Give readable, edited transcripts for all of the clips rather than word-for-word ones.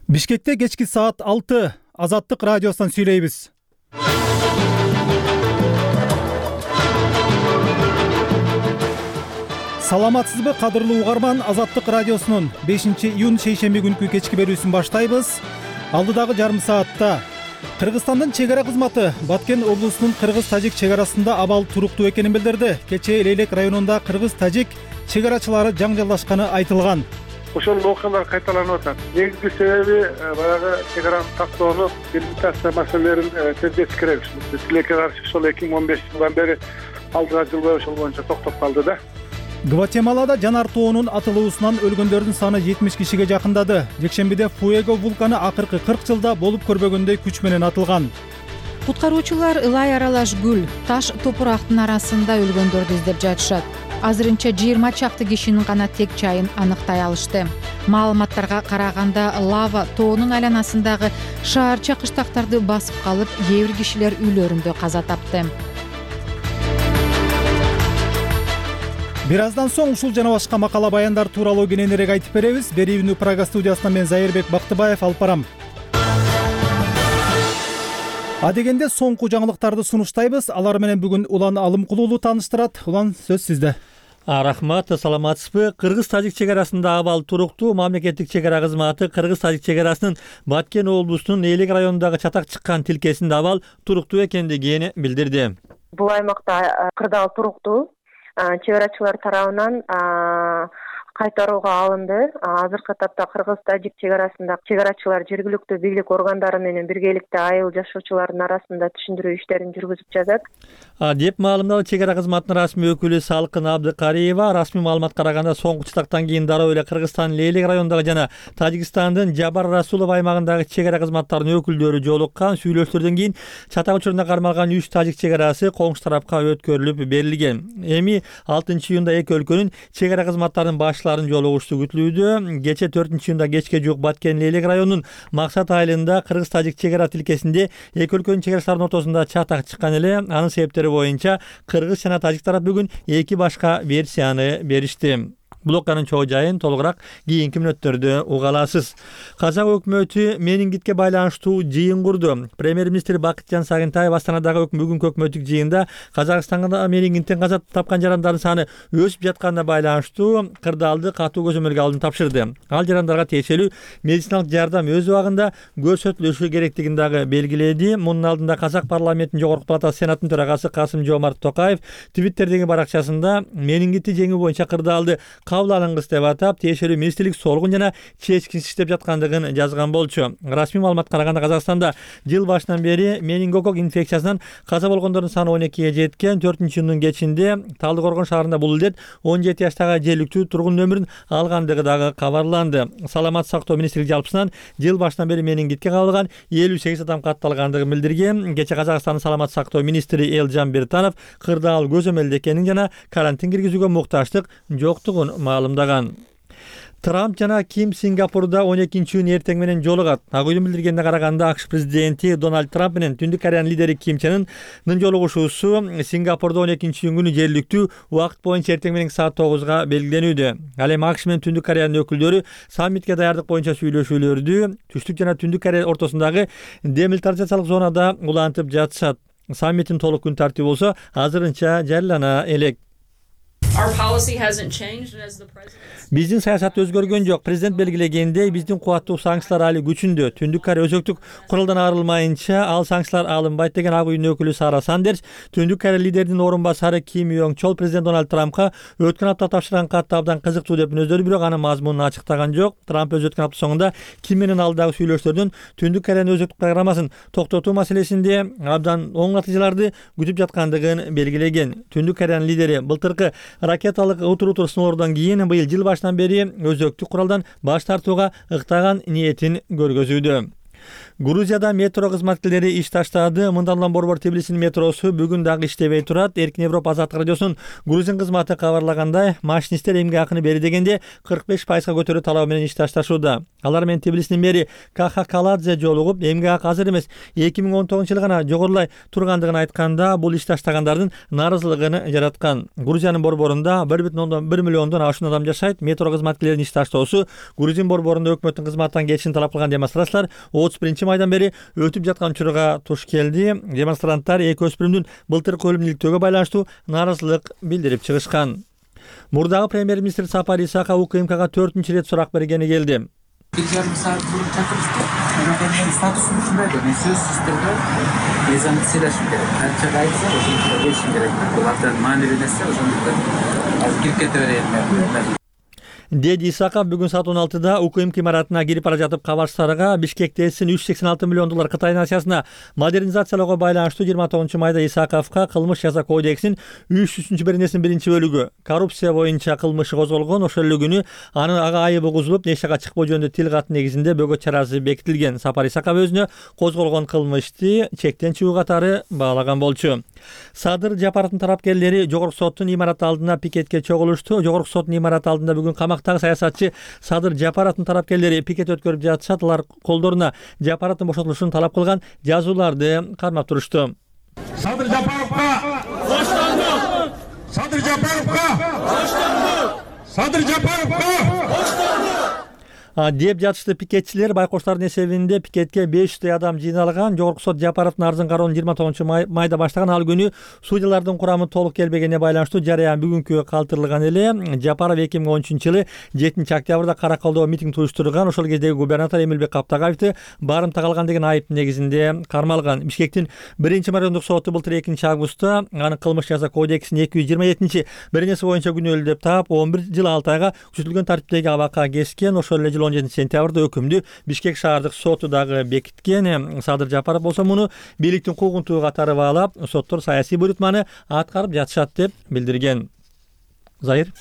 Бишкекте кечки саат 6 Азаттык радиосунан сүйлөйбүз. Саламатсызбы, кадырлуу угарман? Азаттык радиосунун 5-июнь шейшемби күнкү кечки берүүсүн баштайбыз. Алдыдагы жарым саатта Кыргызстандын чек ара кызматы Баткен облусунун кыргыз-тажик чек арасында абал туруктуу экенин билдирди. Кечээ Лейлек районунда кыргыз-тажик чек арачылары жаңжалдашканы айтылган. Ошол окуялар кайталанып атат. Негизги себеби баягы чек араны тактоону делимитация маселелерин тездетиш керек. Тилекке каршы ошол 2015 жылдан бери алдыга жылбай ошол боюнча токтоп калды да. Гватемалада жанар тоонун атылуусунан өлгөндөрдүн саны 70 кишиге жакындады. Жекшембиде Фуэго вулканы акыркы 40 жылда болуп көрбөгөндөй күч менен атылган. Куткаруучулар ылай аралаш гүл, таш, топурактын арасында өлгөндөрдү издеп жатышат. Азырынча 20 чакты кишинин гана тек жайын аныктай алышты. Маалыматтарга караганда лава тоонун айланасындагы шаарча кыштактарды басып калып, кээ бир кишилер үйлөрүндө каза тапты. Бир аздан соң ушул жана башка макала баяндар тууралуу кененирээк айтып беребиз. Берүүнү Прага студиясынан мен Зайырбек Бактыбаев алып барам. Адегенде соңку жаңылыктарды сунуштайбыз. Алар менен бүгүн Улан Алымкулуулу тааныштырат. Улан, сөз сизде. Рахмат, саламатсызбы? Кыргыз-тажик чек арасында абал туруктуу. Мамлекеттик чек ара кызматы Кыргыз-тажик чек арасынын Баткен облусунун Лейлек районундагы чатак чыккан тилкесинде абал туруктуу экендигин билдирди. Бул аймакта кырдаал туруктуу. Чек арачылар тарабынан кайтарууга алынды. Азыркы этапта Кыргыз-тажик чек арасында чек арачылар жергиликтүү бийлик органдары менен биргеликте айыл жашоочулардын арасында түшүндүрүү иштерин жүргүзүп жатат. Деп маалымдады чек ара кызматынын расмий өкүлү Салкын Абдыкариева. Расмий маалыматка караганда соңку чатактан кийин дароо эле Кыргызстандын Лейлек районундагы жана Тажикстандын Жабар Расулов аймагындагы чек ара кызматтарынын өкүлдөрү жолуккан. Сүйлөшүүлөрдөн кийин чатак учурунда кармалган 3 тажик чек арасы коңшу тарапка өткөрүлүп берилген. Эми 6-июнда эки өлкөнүн чек ара кызматтарынын башларын жолугушуу күтүлүүдө. Кечээ 4-июнда кечке жуук Баткен Лейлек районунун Максат айылында кыргыз-тажик чек ара тилкесинде эки өлкөнүн чек арачыларынын ортосунда чатак чыккан эле. Анын себептери боюнча кыргыз жана тажик тарап бүгүн эки башка версияны беришти. Бул окуянын чоо жайын толугураак кийинки мүнөттөрдө уга аласыз. Казак өкмөтү менингитке байланыштуу жыйын курду. Премьер-министр Бакытжан Сагынтаев Астанадагы бүгүнкү өкмөттүк жыйында Казакстанда менингиттен каза тапкан жарандардын саны өсүп жатканына байланыштуу кырдаалды катуу көзөмөлгө алууну тапшырды. Ал жарандарга тиешелүү медициналык жардам өз убагында көрсөтүлүшү керектигин дагы белгиледи. Мунун алдында Казак парламентинин жогорку палатасы сенаттын төрагасы Касым-Жомарт Токаев Твиттердеги баракчасында менингитти жеңүү боюнча кырдаалды кабыл алынгыс деп атап, тиешелүү министрлик солгун жана чечкинсиз иштеп жаткандыгын жазган болчу. Расмий маалыматка караганда Казакстанда жыл башынан бери менингокок инфекциясынан каза болгондордун саны 12ге жеткен. 4-июндун кечинде Талдыкоргон шаарында бул илдет 17 жаштагы желиктүү тургундун өмүрүн алгандыгы дагы кабарланды. Саламат сактоо министрлиги жалпысынан жыл башынан бери менингитке кабылган 58 адам катталгандыгын билдирген. Кечээ Казакстандын саламат сактоо министри Элжан Биртанов кырдаал көзөмөлдө экенин жана карантин киргизүүгө муктаждык жоктугун маалымдаган. Трамп жана Ким Сингапурда 12-июнь эртең менен жолугат. Ак үйдүн билдиргенине караганда АКШ президенти Дональд Трамп менен Түндүк Кореянын лидери Ким Чен Ынын жолугушуусу Сингапурда 12-июнь күнү жергиликтүү убакыт боюнча эртең менен саат 9-га белгиленүүдө. Ал эми АКШ менен Түндүк Кореянын өкүлдөрү саммитке даярдык боюнча сүйлөшүүлөрдү Түштүк жана Түндүк Корея ортосундагы демилитаризациялык зонада улантып жатышат. Саммиттин толук күн тартиби болсо азырынча жарыялана элек. Биздин саясат өзгөргөн жок. Президент белгилегендей, биздин кубаттуу санкциялар али күчүндө. Түндүк Корея өзөктүк куралдан арылмайынча ал санкциялар алынбайт деген Ак үйдүн өкүлү Сара Сандерс Түндүк Корея лидеринин орун басары Ким Йонг Чол президент Дональд Трампка өткөн апта тапшырган катты абдан кызыктуу деп мүнөздөрдү, бирок анын мазмунун ачыктаган жок. Трамп өткөн апта соңунда Ким менен алдагы сүйлөшүүлөрдөн Түндүк Кореянын өзөктүк программасын токтотуу маселесинде абдан оң натыйжаларды күтүп жаткандыгын белгилеген. Түндүк Кореянын лидери былтыркы ракеталык утур сыноолордон кийин быйыл жыл башынан бери өзөктүк куралдан баш тартууга ыктаган ниетин көргөзүүдө. Грузияда метро кызматкерлери иш таштады. Мындан улам борбор Тбилисинин метросу бүгүн дагы иштебей турат. Эркин Европа Азаттык радиосунун Грузин кызматы кабарлагандай, машинисттер эмгек акыны бери дегенде 45% көтөрүү талабы менен иш ташташууда. Алар менен Тбилисинин мэри Каха Каладзе жолугуп, эмгек акы азыр эмес, 2019-жылы гана жогорулай тургандыгын айтканда, бул иш таштагандардын нааразылыгын жараткан. Грузиянын борборунда 1,1 миллиондон ашуун адам жашайт. Метро кызматкерлеринин иш таштоосу Грузин борборунда өкмөттүн кызматтан кетишин талап кылган демонстрациялар 31-майдан бери өтүп жаткан учурга туш келди. Демонстранттар эки өспүрүмдүн былтыркы өлүмүн иликтөөгө байланыштуу нааразылык билдирип чыгышкан. Мурдагы премьер-министр Сапар Исаков УКМКга 4-чү ирет сурак бергени келди. 2,5 saat bulup çakırıştı. Benim statusum şundaydı. Ben söz sistemde mezanlık silaşım gerek. Kaçça gayetse o zaman geçim gerek. Bu hatta manevi dese o zaman az girip ketivereyim. Деди Исаков бүгүн саат 16-да УКМК имаратына кирип бара жатып кабарчыларга Бишкек ТЭСин $386 миллион Кытай насиясына модернизациялоого байланыштуу 29-майда Исаковго кылмыш жаза кодексинин 300-беренесинин 1-бөлүгү коррупция боюнча кылмышы козголгон. Ошол эле күнү анын ага айыбы кузулуп, нешага чыкпоо жөнүндө тил кат негизинде бөгөт чарасы бекитилген. Сапар Исаков өзүнө козголгон кылмышты чектен чыгуу катары баалаган болчу. Садыр Жапаровдун тарапкерлери Жогорку соттун имараты алдына пикетке чогулушту. Жогорку соттун имараты алдында бүгүн камактагы саясатчы Садыр Жапаровдун тарапкерлери пикет өткөрүп жатышат. Алар колдоруна Жапаровдун бошотулушун талап кылган жазууларды кармап турушту. Садыр Жапаровга боштондук! Садыр Жапаровга боштондук! Садыр Жапаровга боштондук! деп жатышты пикетчилер. Байкоштардын эсебинде пикетке 500 адам жыйналган. Жогорку сот Жапаровдун арызын кароонун 29-майда баштаган. Ал күнү судьялардын курамы толук келбегенине байланыштуу жарыян бүгүнкү калтырылган эле. Жапаров 2013-жылы 7-октябрда Каракалдо митинг уюштурган. Ошол кездеги губернатор Эмилбек Каптагаевди барымта калган деген айып негизинде кармалган. Бишкектин 1-райондук соту былтыр 2-августта анын кылмыш жаза кодексинин 227-беренеси боюнча күнөөлүү деп таап 11 жыл 6 айга күчөтүлгөн тартиптеги абакка кескен. Ошол эле 17-сентябрда өкүмдү Бишкек шаардык соту дагы бекиткен. Садыр Жапаров болсо муну бийликтин куугунтугу катары баалап, соттор саясий буйрутманы аткарып жатышат деп билдирген. Зайыр.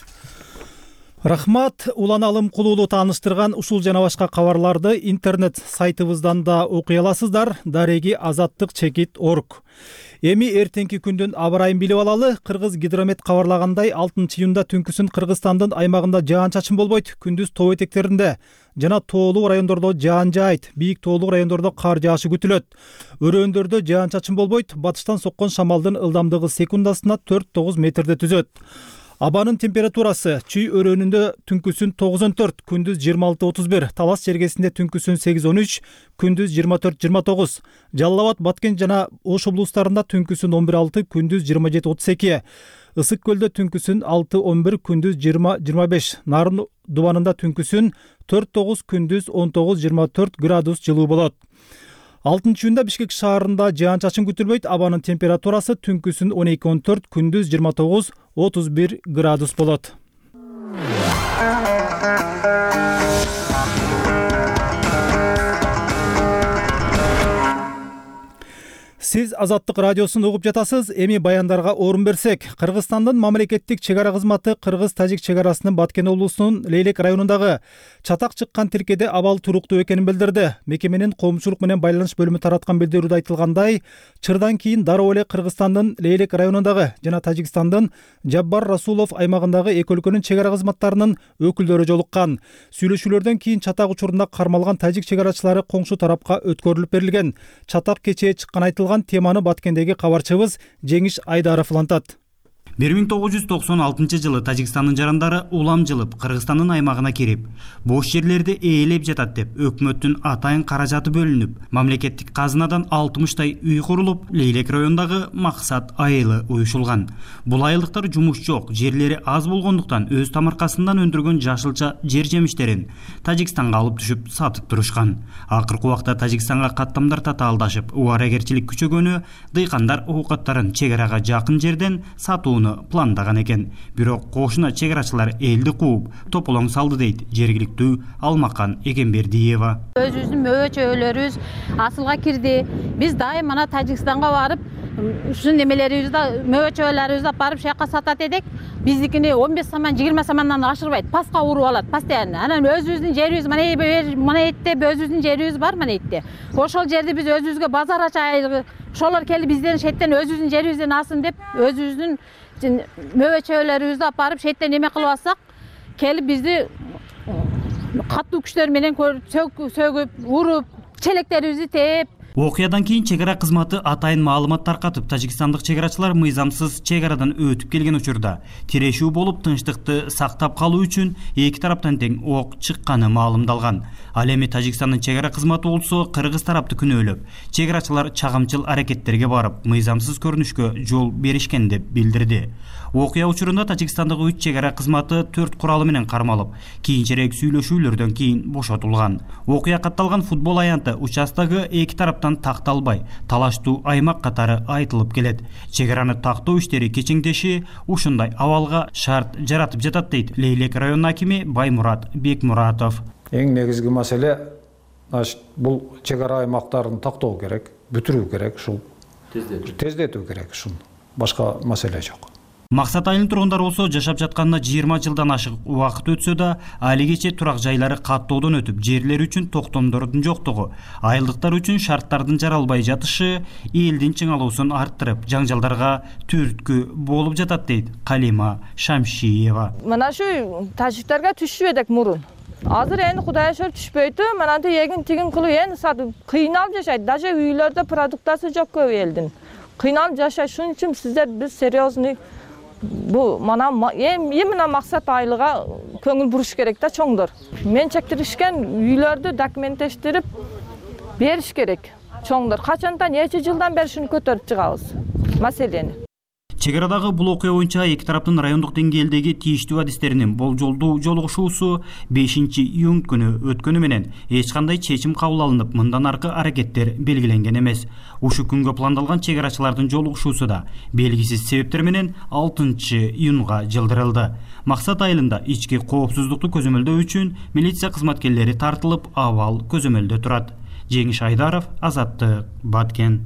Рахмат, Улан Алым Кулуулу тааныштырган ушул жана башка кабарларды интернет сайтыбыздан да окуй аласыздар. Дареги azattik.org. Эми эртеңки күндүн аба ырайын билип алалы. Кыргыз гидромет кабарлагандай 6-июнда түнкүсүн Кыргызстандын аймагында жаан-чачын болбойт. Күндүз тоо этектеринде жана тоолуу райондордо жаан жаайт. Бийик тоолуу райондордо кар жаашы күтүлөт. Өрөөндөрдө жаан-чачын болбойт. Батыштан соккон шамалдын ылдамдыгы секундасына 4-9 метрде түзөт. Абанын температурасы Чүй өрөөнүндө түнкүсүн 9-14, күндүз 26-31, Талас жергесинде түнкүсүн 8-13, күндүз 24-29, Жалал Абад, Баткен жана Ош облустарында түнкүсүн 11-6, күндүз 27-32, Ысык көлдө түнкүсүн 6-11, күндүз 20-25, Нарын дубанында түнкүсүн 4-9, күндүз 19-24 градус жылуу болот. 6-июнда Бишкек шаарында жаан-чачын күтүлбөйт. Абанын температурасы түнкүсүн 12-14, күндүз 29-31 градус болот. Сиз Азаттык радиосун угуп жатасыз. Эми баяндарга орун берсек, Кыргызстандын мамлекеттик чек ара кызматы Кыргыз-Тажик чек арасынын Баткен облусунун Лейлек районундагы чатак чыккан тиркеде абал туруктуу экенин билдирди. Мекеменин коомчулук менен байланыш бөлүмү тараткан билдирүүдө айтылгандай, чырдан кийин дароо эле Кыргызстандын Лейлек районундагы жана Тажикстандын Жаббар Расулов аймагындагы эки өлкөнүн чек ара кызматтарынын өкүлдөрү жолуккан. Сүйлөшүүлөрдөн кийин чатак учурунда кармалган тажик чек арачылары коңшу тарапка өткөрүлүп берилген. Чатак кечээ чыккан айтылган теманы Баткендеги кабарчыбыз Жеңиш Айдаров улантат. 1996 жылы Тажикстандын жарандары улам жылып Кыргызстандын аймагына кирип, бош жерлерди ээлеп жатат деп өкмөттүн атайын каражаты бөлүнүп, мамлекеттик казынадан 60 үй курулуп, Лейлек районундагы Максат айылы уюшулган. Бул айылдыктар жумуш жок, жерлери аз болгондуктан өз тамаркасынан өндүргөн жашылча жер жемиштерин Тажикстанга алып түшүп сатып турушкан. Акыркы убакта Тажикстанга каттамдар татаалдашып, убарагерчилик күчөгөнү дыйкандар оокаттарын чек арага жакын жерден сатууну пландаган экен. Бирок кошуна чек арачылар элди кууп, тополоң салды дейт жергиликтүү Алмакан Экенбердиева. Өзүбүздүн мөбө чөбөлөрүбүз асылга кирди. Биз дайым мана Тажикстанга барып, ушу немелерибизди мөбөчөлөрүбүздү алып барып шаяка сатат эдик. Биздикини 15 саман 20 самандан ашырбайт. Паска уруп алат постоянно. Анан өзүбүздүн жерибиз мына этте өзүбүздүн жерибиз бар мына этте. Ошол жерди биз өзүбүзгө базар ачайлы. Ошолор келип бизден шеттен өзүбүздүн жерибизден алсын деп өзүбүздүн мөбөчөлөрүбүздү алып барып шеттен эме кылып алсак, келип бизди катуу күчтөр менен сөгүп, уруп, челектерибизди тээп. Окуядан кийин чек ара кызматы атайын маалымат таркатып, тажикстандык чек арачылар мыйзамсыз чек арадан өтүп келген учурда тирешүү болуп тынчтыкты сактап калуу үчүн эки тараптан тең ок чыкканы маалымдалган. Ал эми Тажикстандын чек ара кызматы болсо кыргыз тарапты күнөөлөп, чек арачылар чагымчыл аракеттерге барып, мыйзамсыз көрүнүшкө жол беришкен деп билдирди. Окуя учурунда Тажикстандык 3 чек ара кызматы 4 куралы менен кармалып, кийинчерээк сүйлөшүүлөрдөн кийин бошотулган. Окуя катталган футбол аянты участогу эки тараптан такталбай, талаштуу аймак катары айтылып келет. Чек араны тактоо иштери кечиңдеши ушундай абалга шарт жаратып жатат дейт Лейлек районунун акими Баймурат Бекмуратов. Эң негизги маселе бул чек ара аймактарын тактоо керек, бүтүрүү керек, ушул тездетүү керек, ушул башка маселе жок. Максат айылынын тургундары болсо жашап жатканына 20 жылдан ашык убакыт өтсө да, али кече турак жайлары каттоодон өтүп, жерлер үчүн токтомдордун жоктугу, айылдыктар үчүн шарттардын жаралбай жатышы элдин чыңалуусун арттырып, жаңжалдарга түрткү болуп жатат дейт Калима Шамшиева. Мына ушу тажиктерге түшүп эдик мурун. Азыр эми Кудай шүр түшпөйтү, мананты эгин тигин кылып эми кыйналып жашайт. Даже үйлөрдө продуктасы жок көп элдин. Кыйналып жашайт. Шуның үчүн сиздер биз серьезный бу мана эмне максат айлыга көңүл буруш керек да чоңдор. Мен чектиришкен үйлөрдү документтештирип бериш керек чоңдор. Качандан нече жылдан бери шуну көтөрүп чыгабыз маселени. Чек арадагы бул окуя боюнча эки тараптын райондук деңгээлдеги тийиштүү адистеринин болжолдуу жолугушуусу 5-июнь күнү өткөнү менен эч кандай чечим кабыл алынып, мындан аркы аракеттер белгиленген эмес. Ушу күнгө пландалган чек арачылардын жолугушуусу да белгисиз себептер менен 6-июнга жылдырылды. Максат айылында ички коопсуздукту көзөмөлдөө үчүн милиция кызматкерлери тартылып, абал көзөмөлдө турат. Жеңиш Айдаров, Азаттык, Баткен.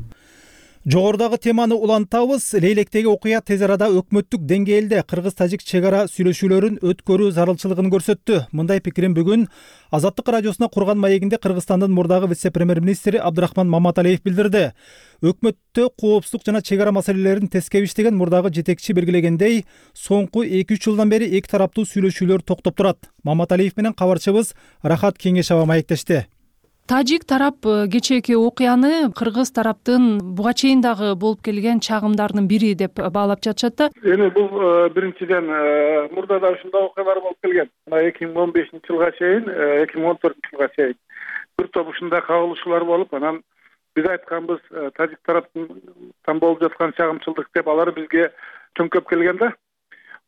Жогорудагы теманы улантабыз. Лейлектеги окуя тез арада өкмөттүк деңгээлде кыргыз-тажик чек ара сүйлөшүүлөрүн өткөрүү зарылчылыгын көрсөттү. Мындай пикирин бүгүн Азаттык радиосуна курган маегинде Кыргызстандын мурдагы вице-премьер-министри Абдрахман Маматалиев билдирди. Өкмөттө коопсуздук жана чек ара маселелерин тескеп иштеген мурдагы жетекчи белгилегендей, соңку 2-3 жылдан бери эки тараптуу сүйлөшүүлөр токтоп турат. Маматалиев менен кабарчыбыз Рахат Кеңешова маектешти. Тажик тарап кечээки окуяны кыргыз тараптын буга чейин дагы болуп келген чагымдарынын бири деп баалап жатышат да. Эми бул биринчиден мурда да ушундай окуялар болуп келген. 2015-жылга чейин, 2014-жылга чейин бир топ ушундай кагылышуулар болуп, анан биз айтканбыз тажик тараптан болуп жаткан чагымчылдык деп алар бизге төңкөп келген да.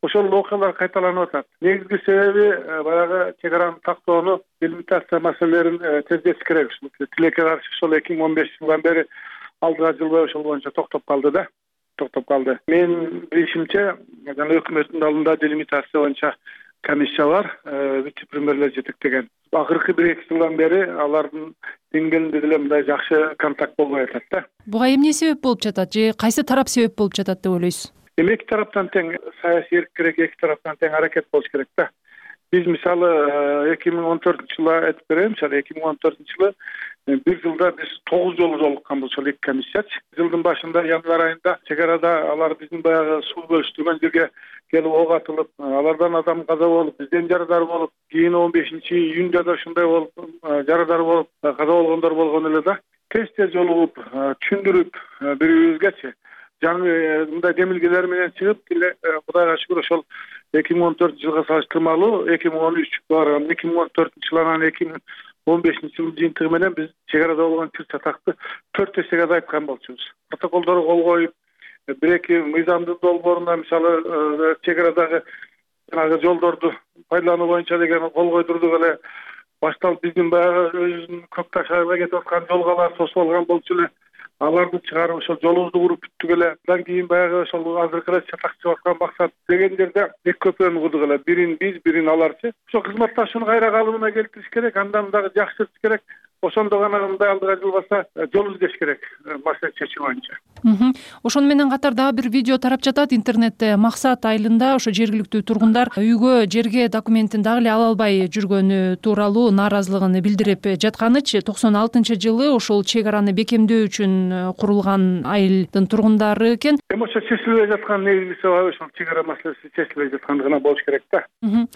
Ошол окуялар кайталанып атат. Негизги себеби баягы чек араны тактоону, делимитация маселелерин тездетиш керек. Тилекке каршы ошол 2015-жылдан бери алдыга жылбай ошол боюнча токтоп калды да. Мен билишимче, жана өкмөттүн алдында делимитация боюнча комиссия бар, вице-премьерлер жетектеген. Акыркы 1-2 жылдан бери алардын деңгээлинде деле мындай жакшы контакт болбой атат да. Буга эмне себеп болуп жатат же кайсы тарап себеп болуп жатат деп ойлойсуз? Эки тараптан тең саясий эрк керек, эки тараптан тең аракет болуш керек да. Биз мисалы 2014-жылы айтып берем, 2014-жылы бир жылда биз 9 жолу жолукканбыз ошол эки комиссиячы. Жылдын башында январь айында чек арада алар биздин баягы суу бөлүштүргөн жерге келип ок атылып, алардан адам каза болуп, бизден жарадар болуп, кийин 15-июнда да ушундай болуп, жарадар болуп, каза болгондор болгон эле да. Тез жолугуп, түшүндүрүп бири-бирибизгечи мындай демилгелер менен чыгып, Кудайга шүгүр ошол 2014-жылга салыштырмалуу 2013 бар, 2014-жылы анан 2015-жылдын жыйынтыгы менен биз чек арада болгон чыр чатакты 4 эсеге азайткан болчубуз. Протоколдорго кол коюп, бир-эки мыйзамдын долбооруна мисалы чек арадагы жанагы жолдорду пайдалануу боюнча деген кол койдурдук эле. Башталып биздин баягы өзүнүн Көк Таш айылга кетип аткан жолгалар тосуп алган болчу эле. Аларды чыгарып ошол жолубузду куруп бүттүк эле. Андан кийин баягы ошол азыркы эле чатакчы аткан максат деген жерде эки көпөрүн курдук эле. Бирин биз, бирин аларчы. Ошол кызматташууну кайра калыбына келтириш керек, андан дагы жакшыртыш керек. ошондо гана мындай алдыга жылбаса жол издеш керек маселе чечүү боюнча. Ошону менен катар дагы бир видео тарап жатат интернетте. Максат айылында ошо жергиликтүү тургундар үйгө жерге документин дагы эле ала албай жүргөнү тууралуу нааразылыгын билдирип жатканычы. 96-жылы ошол чек араны бекемдөө үчүн курулган айылдын тургундары экен. Эми ошо чечилбей жаткан негизги себеби ошол чек ара маселеси чечилбей жатканы гана болуш керек да.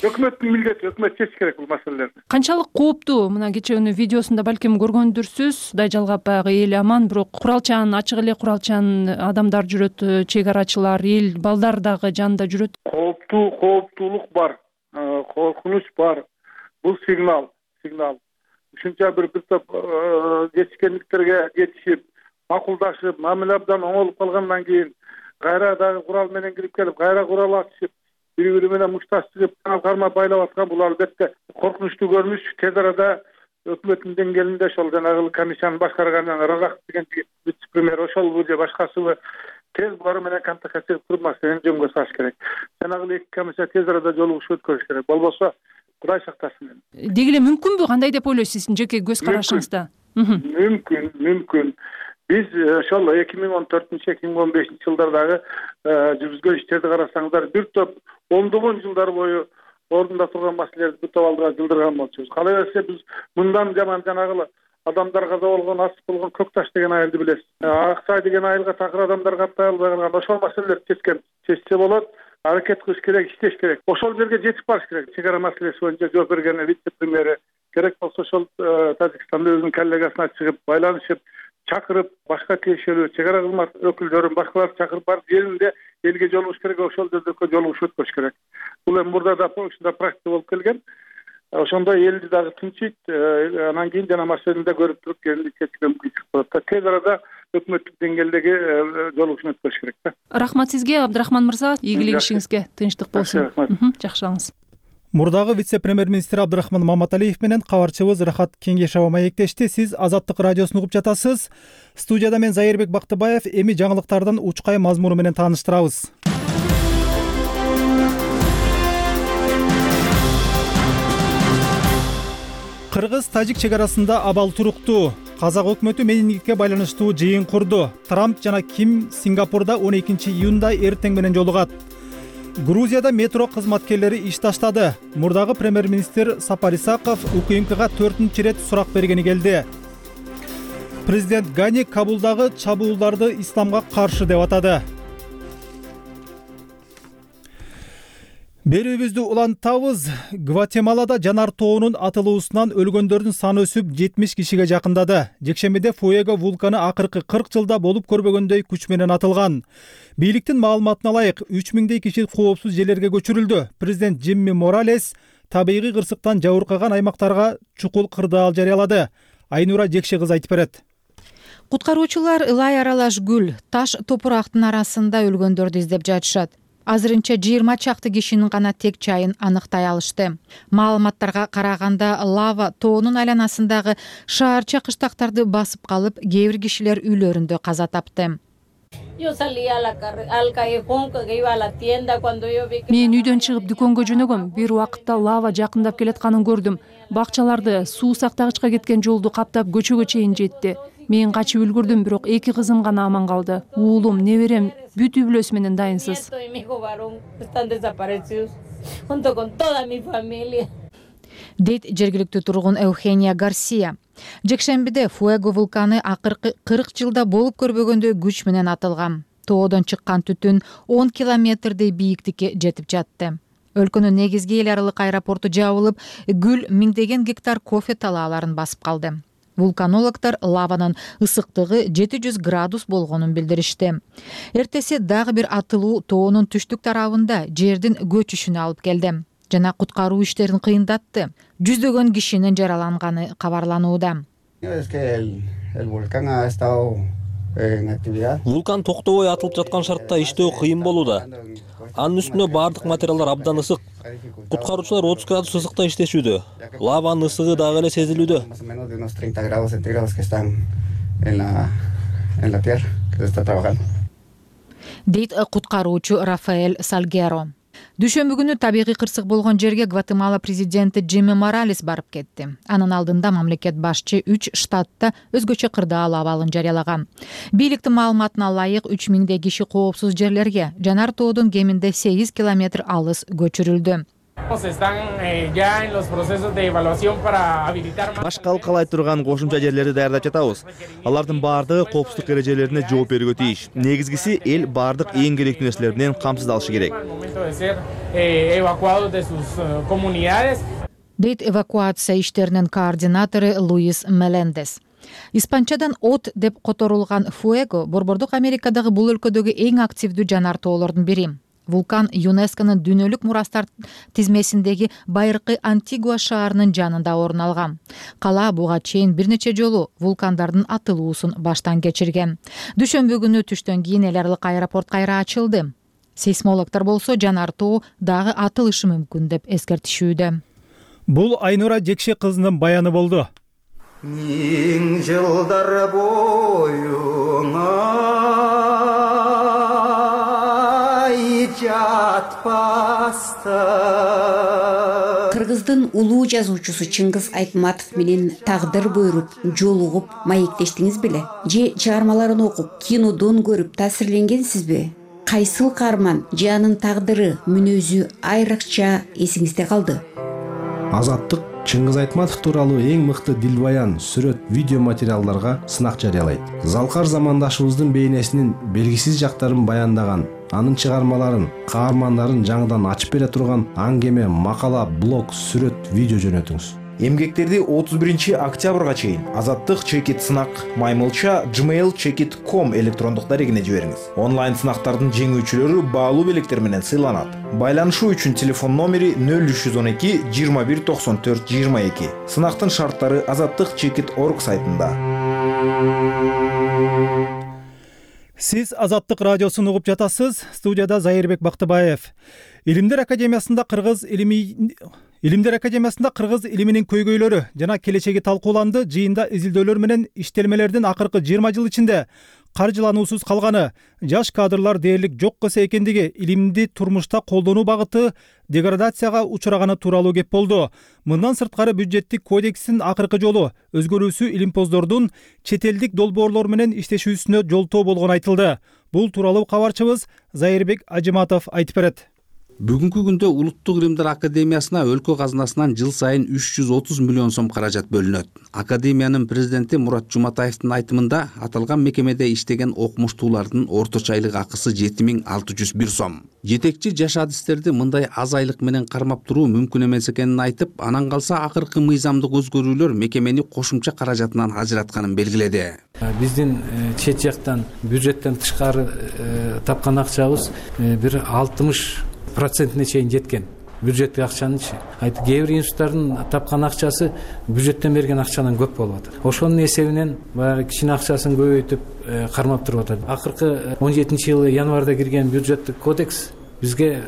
Өкмөттүн милдети, өкмөт чечиш керек бул маселелерди. Канчалык кооптуу? Мына кечэөнү видеосунда балким көргөндүрсүз. Кудай жалгап баягы эл аман, бирок куралчан, ачык эле куралчан адамдар жүрөт, чек арачылар, эл балдар дагы жанында жүрөт. Кооптуулук бар, коркунуч бар. Бул сигнал. Ушунча бир топ жетишкендиктерге жетишип, макулдашып, мамиле абдан оңолуп калгандан кийин кайра дагы курал менен кирип келип, кайра курал ачышып, бири-бири менен мушташтыгып, карма байлап аткан бул албетте коркунучтуу көрүнүш. Тез арада өкмөттүн деңгээлинде ошол жанагы комиссияны башкарган Разак деген вице-премьер ошолбу же башкасыбы тез булар менен контактка чыгып туруп маселени жөнгө салыш керек. Жанагы эки комиссия тез арада жолугушуп өткөрүш керек. Болбосо Кудай сактасын. Деги эле мүмкүнбү? Кандай деп ойлойсуз сиздин жеке көз карашыңызда? Мүмкүн. Биз ошол 2014-2015 жылдардагы жүргүзгөн иштерди карасаңыздар, бир топ ондогон жылдар бою ордунда турган маселелерди бир топ алдыга жылдырган болчубуз. Калай берсе биз мындан жаман жанагы адамдар каза болгон, ас болгон Көкташ деген айылды билесиз. Аксай деген айылга такыр адамдар каттай албай калган. Ошол маселелерди чечсе болот. Аракет кылыш керек, иштеш керек. Ошол жерге жетип барыш керек. Чек ара маселеси боюнча жооп берген вице-премьери керек болсо ошол Тажикстанда өзүнүн коллегасына чыгып, байланышып, чакырып, башка тиешелүү чек ара кызмат өкүлдөрүн, башкаларды чакырып барып жеринде элге жолугуш керек, ошол жерде жолугушуп өткөрүш керек. Бул эми мурда да ушундай практика болуп келген. Ошондо элди дагы тынчыйт, анан кийин жана маселени да көрүп туруп жеринде чечүүгө мүмкүнчүлүк болот. Тез арада өкмөттүк деңгээлдеги жолугушууну өткөрүш керек да. Рахмат сизге, Абдрахман мырза. Ийгилик ишиңизге, тынчтык болсун. Жакшылаңыз. Мурдагы вице-премьер-министр Абдрахман Маматалиев менен кабарчыбыз Рахат Кеңешова маектешти. Сиз Азаттык радиосун угуп жатасыз. Студияда мен Зайырбек Бактыбаев. Эми жаңылыктардан учкай мазмуну менен тааныштырабыз. Кыргыз-Тажик чек арасында абал туруктуу. Казак өкмөтү менингитке байланыштуу жыйын курду. Трамп жана Ким Сингапурда 12 июнда эртең менен жолугат. Грузияда метро кызматкерлери иш таштады. Мурдагы премьер-министр Сапар Исаков УКМКга 4-чү рет сурак бергени келди. Президент Гани Кабулдагы чабуулдарды исламга каршы деп атады. Берүүбүздү улантабыз. Гватемалада жанар тоонун атылуусунан өлгөндөрдүн саны өсүп 70 кишиге жакындады. Жекшембиде Фуэго вулканы акыркы 40 жылда болуп көрбөгөндөй күч менен атылган. Бийликтин маалыматына ылайык 3000 киши коопсуз жерлерге көчүрүлдү. Президент Джимми Моралес табигый кырсыктан жабыркаган аймактарга чукул кырдаал жарыялады. Айнура Жекше кызы айтып берет. Куткаруучулар ылай аралаш гүл, таш топурактын арасында өлгөндөрдү издеп жатышат. Азырынча 20 чакты кишинин гана тек чайын аныктай алышты. Маалыматтарга караганда лава тоонун айланасындагы шаарча кыштактарды басып калып, кээ бир кишилер үйлөрүндө каза тапты. Мен үйдөн чыгып дүкөнгө жөнөгөм. Бир убакытта лава жакындап келатканын көрдүм. Бакчаларды, суу сактагычка кеткен жолду каптап көчөгө чейин жетти. Мен качып үлгүрдүм, бирок 2 кызым гана аман калды. Уулум, неберем бүт үй бүлөсү менен дайынсыз. Дейт жергиликтүү тургун Эухения Гарсия. Жекшембиде Фуэго вулканы акыркы 40 жылда болуп көрбөгөндөй күч менен атылган. Тоодон чыккан түтүн 10 километрдей бийиктикке жетип жатты. Өлкөнүн негизги эл аралык аэропорту жабылып, гүл миңдеген гектар кофе талааларын басып калды. Вулканологдор лаванын ысыктыгы 700 градус болгонун билдиришти. Эртеси дагы бир атылуу тоонун түштүк тарабында жердин көчүшүнө алып келди жана куткаруу иштерин кыйындатты. Жүздөгөн кишинин жараланганы кабарланууда. Вулкан токтобой атылып жаткан шартта иштөө кыйын болууда. Анын үстүнө бардык материалдар абдан ысык. Куткаруучулар 30 градус ысыкта иштешүүдө. Лаванын ысыгы дагы эле сезилүүдө. Дейт куткаруучу Рафаэль Сальгеро. Дүйшөмбү күнү табигый кырсык болгон жерге Гватемала президенти Джимми Моралес барып кетти. Анын алдында мамлекет башчы 3 штатта өзгөчө кырдаал абалын жарыялаган. Бийликтин маалыматына ылайык 3000 киши коопсуз жерлерге, жанар тоодун кеминде 8 километр алыс көчүрүлдү. Башка алкалай турган кошумча жерлерди даярдап жатабыз. Алардын баардыгы коопсуздук эрежелерине жооп берүүгө тийиш. Негизгиси эл баардык эң керектүү нерселер менен камсыздалышы керек. Дейт эвакуация иштеринин координатору Луис Мелендес. Испанчадан от деп которулган Фуэго Борбордук Америкадагы бул өлкөдөгү эң активдүү жанар тоолордун бири. Вулкан ЮНЕСКОнун дүйнөлүк мурастар тизмесиндеги байыркы Антигуа шаарынын жанында орун алган. Кала буга чейин бир нече жолу вулкандардын атылуусун баштан кечирген. Дүйшөмбү күнү түштөн кийин эл аралык аэропорт кайра ачылды. Сейсмологдор болсо жанар тоо дагы атылышы мүмкүн деп эскертишүүдө. Бул Айнура Жекше кызынын баяны болду. Миң жылдар боюңа Кыргыздын улуу жазуучусу Чыңгыз Айтматов менен тагдыр буйруп, жолугуп, маектештиңиз беле? Же чыгармаларын окуп, кинодон көрүп таасирленгенсизби? Кайсыл каарман же анын тагдыры, мүнөзү айрыкча эсиңизде калды? Азаттык Чыңгыз Айтматов тууралуу эң мыкты дилбаян, сүрөт, видео материалдарга сынак жарыялайт. Залкар замандашыбыздын бейнесинин белгисиз жактарын баяндаган, анын чыгармаларын, каармандарын жаңыдан ачып бере турган аңгеме, макала, блог, сүрөт, видео жөнөтүңүз. Эмгектерди 31 октябрга чейин Азаттык чекит сынак маймылча gmail.com электрондук дарегине жибериңиз. Онлайн сынактардын жеңүүчүлөрү баалуу белектер менен сыйланат. Байланышуу үчүн телефон номери 0312 21 94 22. Сынактын шарттары azattikchekit.org сайтында. Сиз Азаттык радиосун угуп жатасыз. Студияда Зайырбек Бактыбаев. Илимдер академиясында кыргыз илиминин көйгөйлөрү жана келечеги талкууланды. Жыйында изилдөөлөр менен иштелмелердин акыркы 20 жыл ичинде каржылануусуз калганы, жаш кадрлар дээрлик жок кese экендиги, илимди турмушта колдонуу багыты деградацияга учураганы тууралуу кеп болду. Мындан сырткары бюджеттик кодекстин акыркы жолу өзгөрүүсү илимпоздордун чет элдик долбоорлор менен иштешүүсүнө жолтоо болгону айтылды. Бул тууралуу кабарчыбыз Зайырбек Ажыматов айтып берет. Бүгүнкү күндө Улуттук илимдер академиясына өлкө казынасынан жыл сайын 330 миллион сом каражат бөлүнөт. Академиянын президенти Мурат Жуматаевдин айтымында аталган мекемеде иштеген окумуштуулардын орточо айлык акысы 7601 сом. Жетекчи жаш адистерди мындай аз айлык менен кармап туруу мүмкүн эмес экенин айтып, анан калса акыркы мыйзамдык өзгөрүүлөр мекемени кошумча каражатынан ажыратканын белгиледи. Биздин чет жактан бюджеттен тышкары тапкан акчабыз бир 60% чейин жеткен. Бюджеттик акчанычы. Кээ бир институттардын тапкан акчасы бюджеттен берген акчадан көп болуп атат. Ошонун эсебинен баягы кичине акчасын көбөйтүп кармап туруп атат. Акыркы 17-жылы январда кирген бюджеттик кодекс бизге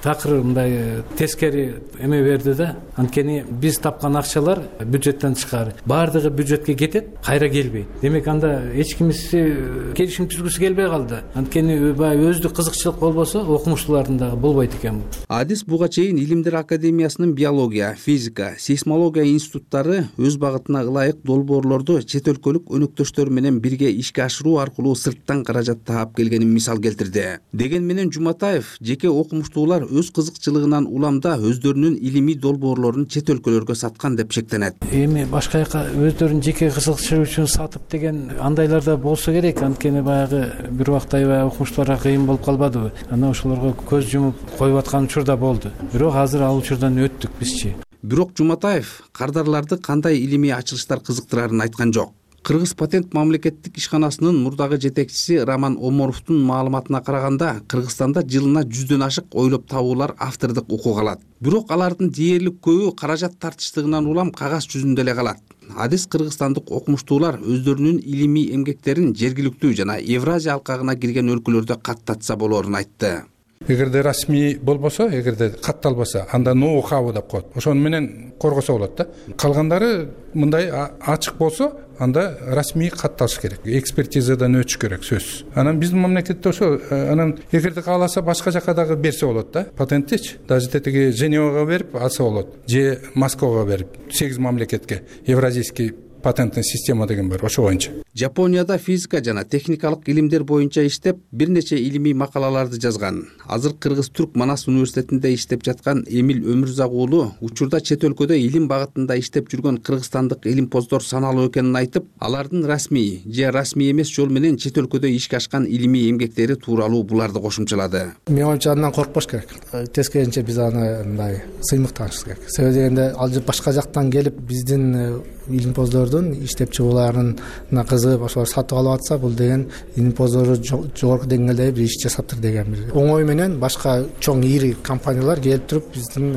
такыр мындай тескери эме берди да. Анткени биз тапкан акчалар бюджеттен тышкары. Баардыгы бюджетке кетет, кайра келбейт. Демек анда эч кимиси келишим түзгүсү келбей калды. Анткени баягы өздүк кызыкчылык болбосо окумуштуулардын дагы болбойт экен. Адис буга чейин Илимдер академиясынын биология, физика, сейсмология институттары өз багытына ылайык долбоорлорду чет өлкөлүк өнөктөштөр менен бирге ишке ашыруу аркылуу сырттан каражат таап келгенин мисал келтирди. Деген менен Жуматаев жеке окумуштуулар өз кызыкчылыгынан уламда өздөрүнүн илимий долбоорлорун чет өлкөлөргө саткан деп шектенет. Эми башка жака өздөрүнүн жеке кызыкчылыгы үчүн сатып деген андайларда болсо керек. Анткени баягы бир убакта аябай окумуштууларга кыйын болуп калбадыбы? Анан ошолорго көз жумуп коюп аткан учурда болду. Бирок азыр ал учурдан өттүк бизчи. Бирок Жуматаев кардарларды кандай илимий ачылыштар кызыктырарын айткан жок. Кыргыз патент мамлекеттик ишканасынын мурдагы жетекчиси Роман Оморовдун маалыматына караганда, Кыргызстанда жылына 100дөн ашык ойлоп табуулар автордук укук алат. Бирок алардын дээрлик көбү каражат тартыштыгынан улам кагаз жүзүндө эле калат. Адис кыргызстандык окумуштуулар өздөрүнүн илимий эмгектерин жергиликтүү жана Евразия алкагына кирген өлкөлөрдө каттатса болоорун айтты. Эгерде расмий болбосо, эгерде катталбаса, анда ноу-хау деп коет. Ошону менен коргосо болот да. Калгандары мындай ачык болсо, анда расмий катталыш керек, экспертизадан өтүш керек, сөзсүз. Анан биздин мамлекетте ошо анан эгерде кааласа башка жака дагы берсе болот да, патенттичи. Даже тетиги Женевага берип алса болот, же Москвага берип, 8 мамлекетке евразийский патентный система деген бар, ошо боюнча. Жапонияда физика жана техникалык илимдер боюнча иштеп, бир нече илимий макалаларды жазган. Азыр Кыргыз-Түрк Манас университетинде иштеп жаткан Эмил Өмүрзак уулу учурда чет өлкөдө илим багытында иштеп жүргөн кыргызстандык илимпоздор саналуу экенин айтып, алардын расмий же расмий эмес жол менен чет өлкөдө ишке ашкан илимий эмгектери тууралуу буларды кошумчалады. Менин оюмча андан коркпош керек. Тескерисинче биз аны мындай сыймыктанышыбыз керек. Себеби дегенде ал башка жактан келип биздин илимпоздордун иштеп чыгууларына кызыгып ошолор сатып алып атса, бул деген илимпоздору жогорку деңгээлде бир иш жасаптыр деген бир оңой менен башка чоң ири компаниялар келип туруп биздин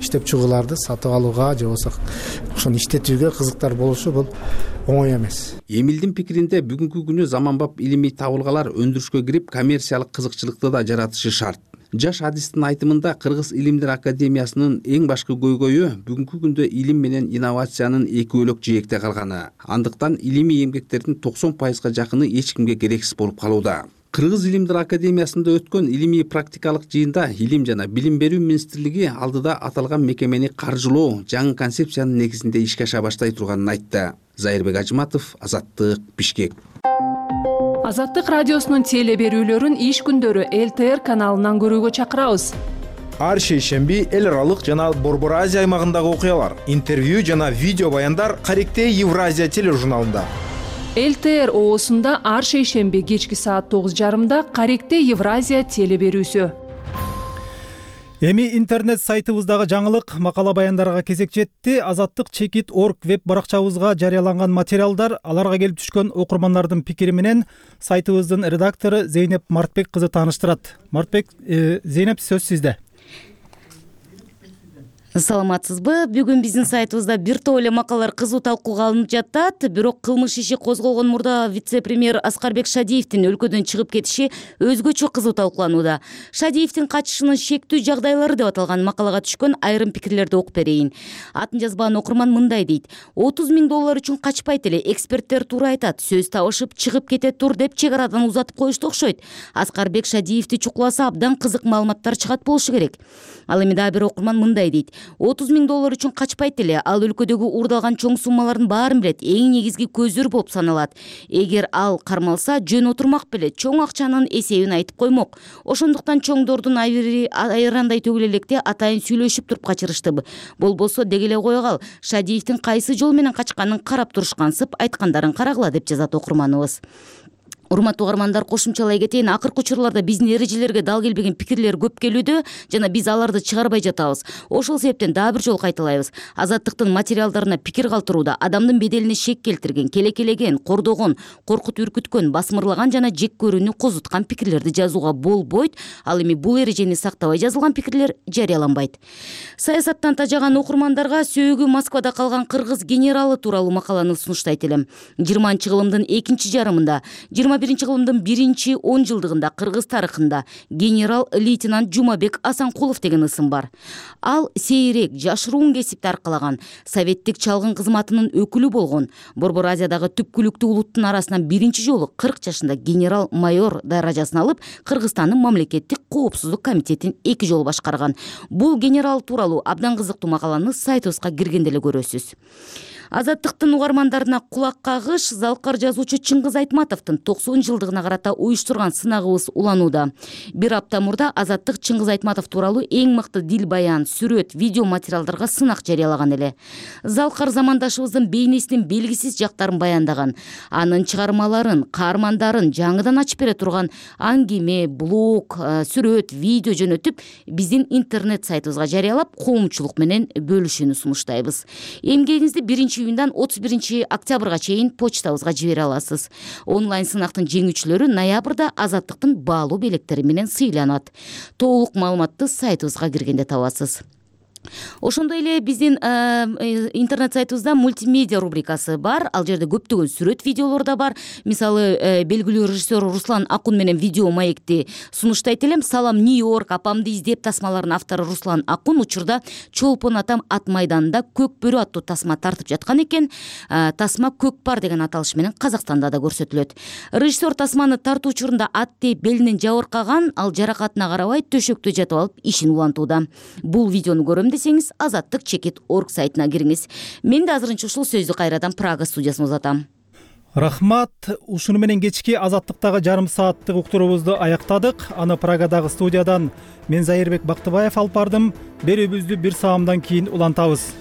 иштеп чыгууларды сатып алууга же болбосо ошону иштетүүгө кызыктар болушу бул оңой эмес. Эмилдин пикиринде бүгүнкү күнү заманбап илимий табылгалар өндүрүшкө кирип, коммерциялык кызыкчылыкты да жаратышы шарт. Жаш адистин айтымында Кыргыз илимдер академиясынын эң башкы көйгөйү бүгүнкү күндө илим менен инновациянын эки бөлөк жээкте калганы. Андыктан илимий эмгектердин 90%га жакыны эч кимге керексиз болуп калууда. Кыргыз илимдер академиясында өткөн илимий практикалык жыйында Илим жана Билим берүү министрлиги алдыда аталган мекемени каржылоо жаңы концепциянын негизинде ишке аша баштай турганын айтты. Зайырбек Ажыматов, Азаттык, Бишкек. Азаттык радиосунун теле берүүлөрүн иш күндөрү ЛТР каналынан көрүүгө чакырабыз. Ар шейшемби эл аралык жана Борбор Азия аймагындагы окуялар, интервью жана видео баяндар Каректе Евразия тележурналында. ЛТР оосунда ар шейшемби кечки саат 9:30 Каректе Евразия теле берүүсү. Эми интернет сайтыбыздагы жаңылык макала баяндарга кезек жетти. Azattik.org веб баракчабызга жарыяланган материалдар, аларга келип түшкөн окурмандардын пикири менен сайтыбыздын редактору Зейнеп Мартбек кызы тааныштырат. Мартбек, Зейнеп, сөз сизде. Саламатсызбы? Бүгүн биздин сайтыбызда бир топ эле макалалар кызуу талкууга алынып жатат. Бирок кылмыш иши козголгон мурда вице-премьер Аскарбек Шадиевдин өлкөдөн чыгып кетиши өзгөчө кызуу талкууланууда. Шадиевдин качышынын шектүү жагдайлары деп аталган макалага түшкөн айрым пикирлерди окуп берейин. Атын жазбаган окурман мындай дейт: $30,000 үчүн качпайт эле, эксперттер туура айтат, сөз табышып чыгып кете тур деп чек арадан узатып коюшту окшойт. Аскарбек Шадиевди чукуласа абдан кызык маалыматтар чыгат болушу керек. Ал эми дагы бир окурман мындай дейт: $30,000 үчүн качпайт эле, ал өлкөдөгү уурдалган чоң суммалардын баарын билет, эң негизги көздөр болуп саналат. Эгер ал кармалса, жөн отурмак беле, чоң акчанын эсебин айтып коймок. Ошондуктан чоңдордун айрандай төгүл электе атайын сүйлөшүп туруп качырышты. Болбосо деги эле кое кал, Шадиевдин кайсы жол менен качканын карап турушкансып айткандарын карагыла деп жазат окурманыбыз. Урматтуу угармандар, кошумчалай кетейин, акыркы учурларда биздин эрежелерге дал келбеген пикирлер көп келүүдө жана биз аларды чыгарбай жатабыз. Ошол себептен дагы бир жолу кайталайбыз. Азаттыктын материалдарына пикир калтырууда адамдын беделине шек келтирген, келекелеген, кордогон, коркутуп үркүткөн, басмырлаган жана жек көрүүнү козуткан пикирлерди жазууга болбойт. Ал эми бул эрежени сактабай жазылган пикирлер жарыяланбайт. Саясаттан тажаган окурмандарга сөөгү Москвада калган кыргыз генералы тууралуу макаланы сунуштайт элем. 20-кылымдын экинчи жарымында 21 кылымдын 1-10 жылдыгында кыргыз тарыхында генерал-лейтенант Жумабек Асанкулов деген ысым бар. Ал сейрек, жашыруун кесипти аркалаган, советтик чалгын кызматынын өкүлү болгон. Борбор Азиядагы түпкүлүктүү улуттун арасынан биринчи жолу 40 жашында генерал-майор даражасын алып, Кыргызстандын мамлекеттик коопсуздук комитетин 2 жолу башкарган. Бул генерал тууралуу абдан кызыктуу макаланы сайтыбызга киргенде эле көрөсүз. Азаттыктын угармандарына кулак кагыш, залкар жазуучу Чыңгыз Айтматовдун 90 жылдыгына карата уюштурган сынагыбыз уланууда. Бир апта мурда Азаттык Чыңгыз Айтматов тууралуу эң мыкты дил баян, сүрөт, видео материалдарга сынак жарыялаган эле. Залкар замандашыбыздын бейнесинин белгисиз жактарын баяндаган, анын чыгармаларын, каармандарын жаңыдан ачып бере турган аңгеме, блог, сүрөт, видео жөнөтүп, биздин интернет сайтыбызга жарыялап, коомчулук менен бөлүшүүнү сунуштайбыз. Эмгегиңизди 1-июндан 31 октябрга чейин почтабызга жибере аласыз. Онлайн сынактын жеңүүчүлөрү ноябрда Азаттыктын баалуу белектери менен сыйланат. Толук маалыматты сайтыбызга киргенде табасыз. Ошондой эле биздин интернет сайтыбызда мультимедиа рубрикасы бар. Ал жерде көптөгөн сүрөт видеолор да бар. Мисалы белгилүү режиссер Руслан Акун менен видео маекти сунуштайт элем. Салам Нью-Йорк, апамды издеп тасмаларынын автору Руслан Акун учурда Чолпон атам ат майданында көк бөрү аттуу тасма тартып жаткан экен. Тасма көк пар деген аталыш менен Казакстанда да көрсөтүлөт. Режиссер тасманы тартуу учурунда ат тээп белинен жабыркаган, ал жаракатына карабай төшөктө жатып алып ишин улантууда. Бул видеону көрөм десеңиз azattik.org сайтына кириңиз. Мен да азырынча ушул сөздү кайрадан Прага студиясына узатам. Рахмат. Ушуну менен кечки Азаттыктагы жарым сааттык уктуруубузду аяктадык. Аны Прагадагы студиядан мен Зайырбек Бактыбаев алып бардым. Берүүбүздү бир саамдан кийин улантабыз.